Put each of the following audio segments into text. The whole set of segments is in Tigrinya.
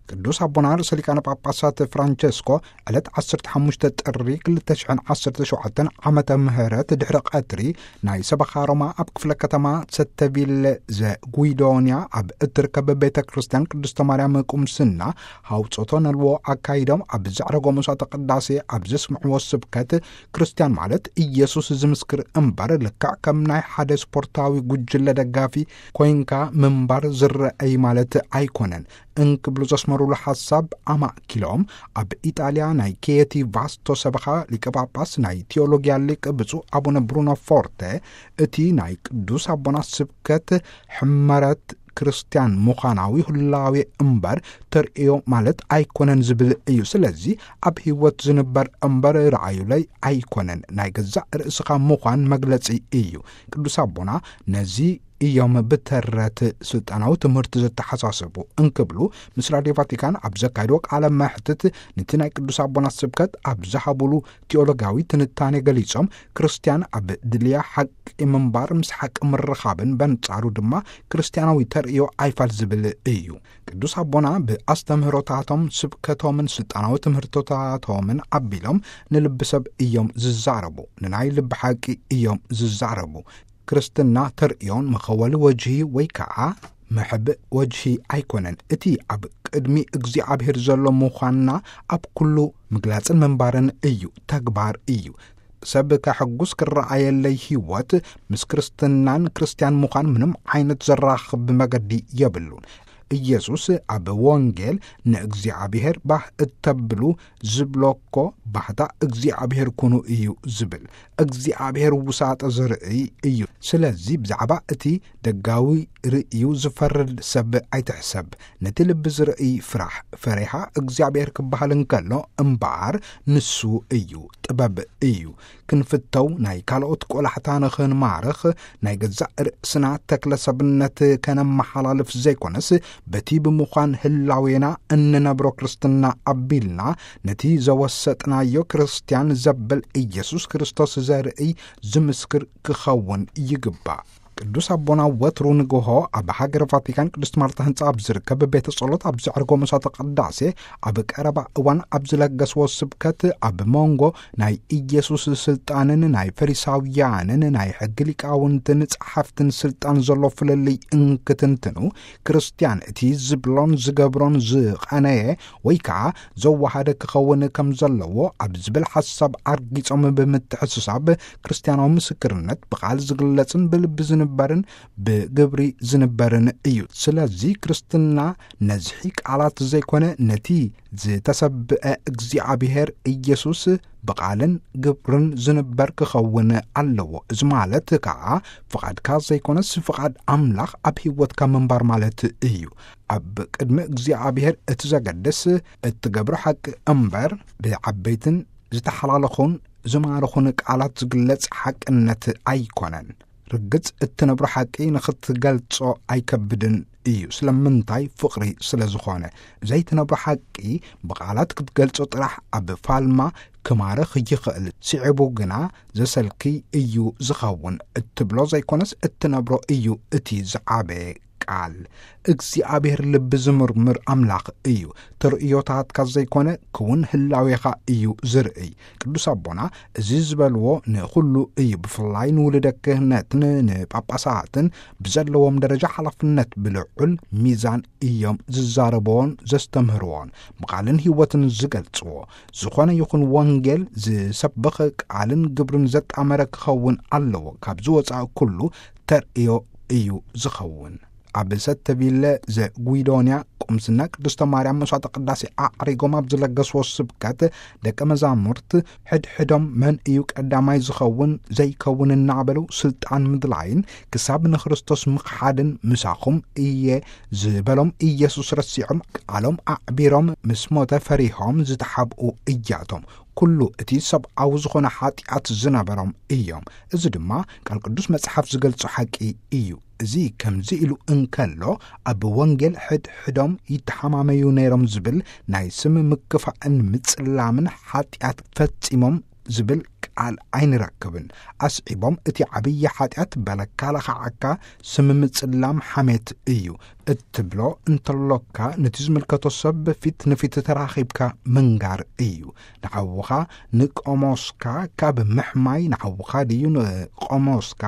ቅዱስ ኣቦና ርእሰ ሊቃነ ጳጳሳት ፍራንቸስኮ ዕለት ዓሰርተ ሓሙሽተ ጥሪ ክልተ ሽሕን ዓሰርተ ሸውዓተን ዓመተ ምህረት ድሕሪ ቀትሪ ናይ ሰበኻ ሮማ ኣብ ክፍለ ከተማ ሰተቪለ ዘጉይዶንያ ኣብ እትርከብ ቤተ ክርስቲያን ቅድስተ ማርያም ቁምስና ሐውጾቶ ነልዎ ኣካይዶም፣ ኣብ ዘዕረጎ መስዋዕተ ቅዳሴ ኣብ ዘስምዕዎ ስብከት፣ ክርስቲያን ማለት ኢየሱስ ዝምስክር እምበር፣ ልክዕ ከም ናይ ሓደ ስፖርታዊ ጉጅለ ደጋፊ ኮይንካ ምንባር ዝረአይ ማለት ኣይኮነን እንክብሉ ዘስመሩሉ ሓሳብ ኣማእኪሎም፣ ኣብ ኢጣልያ ናይ ኬቲ ቫስቶ ሰበኻ ሊቀ ጳጳስ ናይ ቴዎሎጊያ ሊቅ ብፁዕ ኣቡነ ብሩኖ ፎርተ፣ እቲ ናይ ቅዱስ ኣቦና ስብከት ሕመረት ክርስቲያን ምዃናዊ ህላዌ እምበር ተርእዮ ማለት ኣይኮነን ዝብል እዩ። ስለዚ ኣብ ህይወት ዝንበር እምበር ረኣዩለይ ኣይኮነን፣ ናይ ገዛእ ርእስኻ ምዃን መግለጺ እዩ። ቅዱስ ኣቦና ነዚ እዮም ብተረት ስልጣናዊ ትምህርቲ ዘተሓሳስቡ እንክብሉ ምስ ራድዮ ቫቲካን ኣብ ዘካየድዎ ቃለ መሕትት፣ ነቲ ናይ ቅዱስ ኣቦና ስብከት ኣብ ዝሃቡሉ ቴዎሎጋዊ ትንታኔ ገሊጾም፣ ክርስቲያን ኣብ ድልያ ሓቂ ምንባር፣ ምስ ሓቂ ምርኻብን በንጻሩ ድማ ክርስቲያናዊ ተርእዮ ኣይፋል ዝብል እዩ። ቅዱስ ኣቦና ብኣስተምህሮታቶም፣ ስብከቶምን ስልጣናዊ ትምህርቶታቶምን ኣቢሎም ንልቢ ሰብ እዮም ዝዛረቡ፣ ንናይ ልቢ ሓቂ እዮም ዝዛረቡ። ክርስትና ተርእዮን መኸወሊ ወጅሂ ወይ ከዓ መሕብእ ወጅሂ ኣይኮነን። እቲ ኣብ ቅድሚ እግዚኣብሔር ዘሎ ምዃንና ኣብ ኩሉ ምግላጽን ምንባርን እዩ፣ ተግባር እዩ። ሰብ ከሕጉስ ክረኣየለይ ህይወት ምስ ክርስትናን ክርስቲያን ምዃን ምንም ዓይነት ዘራኽብ መገዲ የብሉን። ኢየሱስ ኣብ ወንጌል ንእግዚኣብሔር ባህ እተብሉ ዝብሎ እኮ ባህታ እግዚኣብሔር ኩኑ እዩ ዝብል። እግዚኣብሔር ውሳጠ ዝርእይ እዩ። ስለዚ ብዛዕባ እቲ ደጋዊ ርእዩ ዝፈርድ ሰብ ኣይትሕሰብ። ነቲ ልቢ ዝርእይ ፍራሕ። ፈሪሃ እግዚኣብሔር ክበሃል እንከሎ እምበኣር ንሱ እዩ፣ ጥበብ እዩ። ክንፍተው፣ ናይ ካልኦት ቆላሕታ ንኽንማርኽ፣ ናይ ገዛእ ርእስና ተክለ ሰብነት ከነመሓላልፍ ዘይኮነስ፣ በቲ ብምዃን ህላዌና እንነብሮ ክርስትና ኣቢልና፣ ነቲ ዘወሰጥናዮ ክርስትያን ዘብል ኢየሱስ ክርስቶስ ዘርእይ ዝምስክር ክኸውን ይግባእ። ቅዱስ ኣቦና ወትሩ ንግሆ ኣብ ሃገረ ቫቲካን ቅድስት ማርታ ህንጻ ኣብ ዝርከብ ቤተ ጸሎት ኣብ ዘዕርጎ መስዋዕተ ቅዳሴ ኣብ ቀረባ እዋን ኣብ ዝለገስዎ ስብከት፣ ኣብ መንጎ ናይ ኢየሱስ ስልጣንን ናይ ፈሪሳውያንን ናይ ሕጊ ሊቃውንትን ጸሓፍትን ስልጣን ዘሎ ፍልልይ እንክትንትኑ፣ ክርስትያን እቲ ዝብሎን ዝገብሮን ዝቐነየ ወይ ከኣ ዘወሃደ ክኸውን ከም ዘለዎ ኣብ ዝብል ሓሳብ ኣርጊጾም ብምትሕስሳብ፣ ክርስትያናዊ ምስክርነት ብቓል ዝግለጽን ብልቢ ዝንበርን ብግብሪ ዝንበርን እዩ። ስለዚ ክርስትና ነዝሒ ቃላት ዘይኮነ፣ ነቲ ዝተሰብአ እግዚኣብሔር ኢየሱስ ብቓልን ግብርን ዝንበር ክኸውን ኣለዎ። እዚ ማለት ከኣ ፍቓድካ ዘይኮነስ ፍቓድ ኣምላኽ ኣብ ህይወትካ ምንባር ማለት እዩ። ኣብ ቅድሚ እግዚኣብሔር እቲ ዘገድስ እትገብሮ ሓቂ እምበር ብዓበይትን ዝተሓላለኹን ዝማርኹን ቃላት ዝግለጽ ሓቅነት ኣይኮነን። ርግጽ እትነብሮ ሓቂ ንኽትገልጾ ኣይከብድን እዩ። ስለምንታይ? ፍቕሪ ስለ ዝኾነ። ዘይትነብሮ ሓቂ ብቓላት ክትገልጾ ጥራሕ ኣብ ፋልማ ክማርኽ ይኽእል። ስዒቡ ግና ዘሰልኪ እዩ ዝኸውን። እትብሎ ዘይኮነስ እትነብሮ እዩ እቲ ዝዓበየ ቃል። እግዚኣብሔር ልቢ ዝምርምር ኣምላኽ እዩ። ተርእዮታትካ ዘይኮነ ክውን ህላዌኻ እዩ ዝርእይ። ቅዱስ ኣቦና እዚ ዝበልዎ ንኹሉ እዩ፣ ብፍላይ ንውሉደ ክህነትን ንጳጳሳትን ብዘለዎም ደረጃ ሓላፍነት ብልዑል ሚዛን እዮም ዝዛረብዎን ዘስተምህርዎን ብቓልን ህይወትን ዝገልጽዎ። ዝኾነ ይኹን ወንጌል ዝሰብኽ ቃልን ግብርን ዘጣመረ ክኸውን ኣለዎ። ካብዚ ወጻኢ ኩሉ ተርእዮ እዩ ዝኸውን። ኣብ ሰተቪለ ዘጉይዶንያ ቁምስና ቅድስተ ማርያም መስዋዕተ ቅዳሴ ኣዕሪጎም ኣብ ዝለገስዎ ስብከት፣ ደቀ መዛሙርት ሕድሕዶም መን እዩ ቀዳማይ ዝኸውን ዘይከውን እናበሉ ስልጣን ምድላይን ክሳብ ንክርስቶስ ምኽሓድን ምሳኹም እየ ዝበሎም ኢየሱስ ረሲዖም፣ ቃሎም ኣዕቢሮም ምስ ሞተ ፈሪሆም ዝተሓብኡ እያቶም። ኩሉ እቲ ሰብኣዊ ዝኾነ ሓጢኣት ዝነበሮም እዮም። እዚ ድማ ቃል ቅዱስ መጽሓፍ ዝገልጾ ሓቂ እዩ። እዚ ከምዚ ኢሉ እንከሎ፣ ኣብ ወንጌል ሕድሕዶም ይተሓማመዩ ነይሮም ዝብል ናይ ስም ምክፋእን ምጽላምን ሓጢኣት ፈጺሞም ዝብል ቃል ኣይንረክብን። ኣስዒቦም፣ እቲ ዓብዪ ሓጢኣት በለካ ለኻዓካ ስም ምጽላም ሓሜት እዩ እትብሎ እንተሎካ፣ ነቲ ዝምልከቶ ሰብ ፊት ንፊት ተራኺብካ ምንጋር እዩ። ንሓውኻ ንቆሞስካ ካብ ምሕማይ፣ ንሓውኻ ድዩ ንቆሞስካ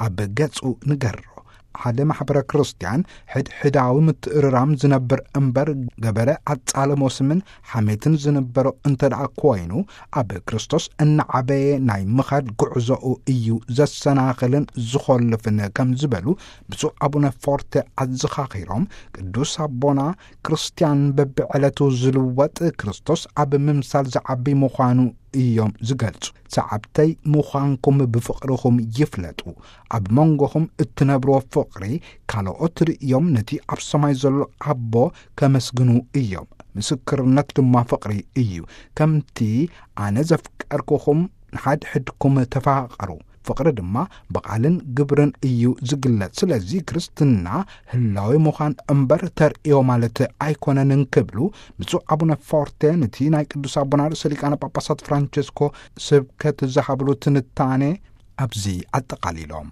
ኣብ ገጹ ንገሮ። ሓደ ማሕበረ ክርስቲያን ሕድሕዳዊ ምትእርራም ዝነብር እምበር፣ ገበረ ኣጻልሞ ስምን ሓሜትን ዝንበሮ እንተ ደኣ ኮይኑ፣ ኣብ ክርስቶስ እናዓበየ ናይ ምኻድ ጉዕዞኡ እዩ ዘሰናኽልን ዝኾልፍን ከም ዝበሉ ብፁዕ ኣቡነ ፎርተ ኣዘኻኺሮም፣ ቅዱስ ኣቦና ክርስቲያን በብዕለቱ ዝልወጥ፣ ክርስቶስ ኣብ ምምሳል ዝዓቢ ምዃኑ እዮም ዝገልጹ። ሰዓብተይ ምዃንኩም ብፍቕርኹም ይፍለጡ። ኣብ መንጎኹም እትነብርዎ ፍቕሪ፣ ካልኦት ርእዮም ነቲ ኣብ ሰማይ ዘሎ ኣቦ ከመስግኑ እዮም። ምስክርነት ድማ ፍቕሪ እዩ። ከምቲ ኣነ ዘፍቀርኩኹም፣ ንሓድሕድኩም ተፋቐሩ። ፍቕሪ ድማ ብቓልን ግብርን እዩ ዝግለጽ። ስለዚ ክርስትና ህላዌ ምዃን እምበር ተርእዮ ማለት ኣይኮነን እንክብሉ ብፁዕ ኣቡነ ፎርቴ ነቲ ናይ ቅዱስ ኣቦና ርእሰ ሊቃነ ጳጳሳት ፍራንቸስኮ ስብከት ዝሃብሉ ትንታኔ ኣብዚ ኣጠቓሊሎም።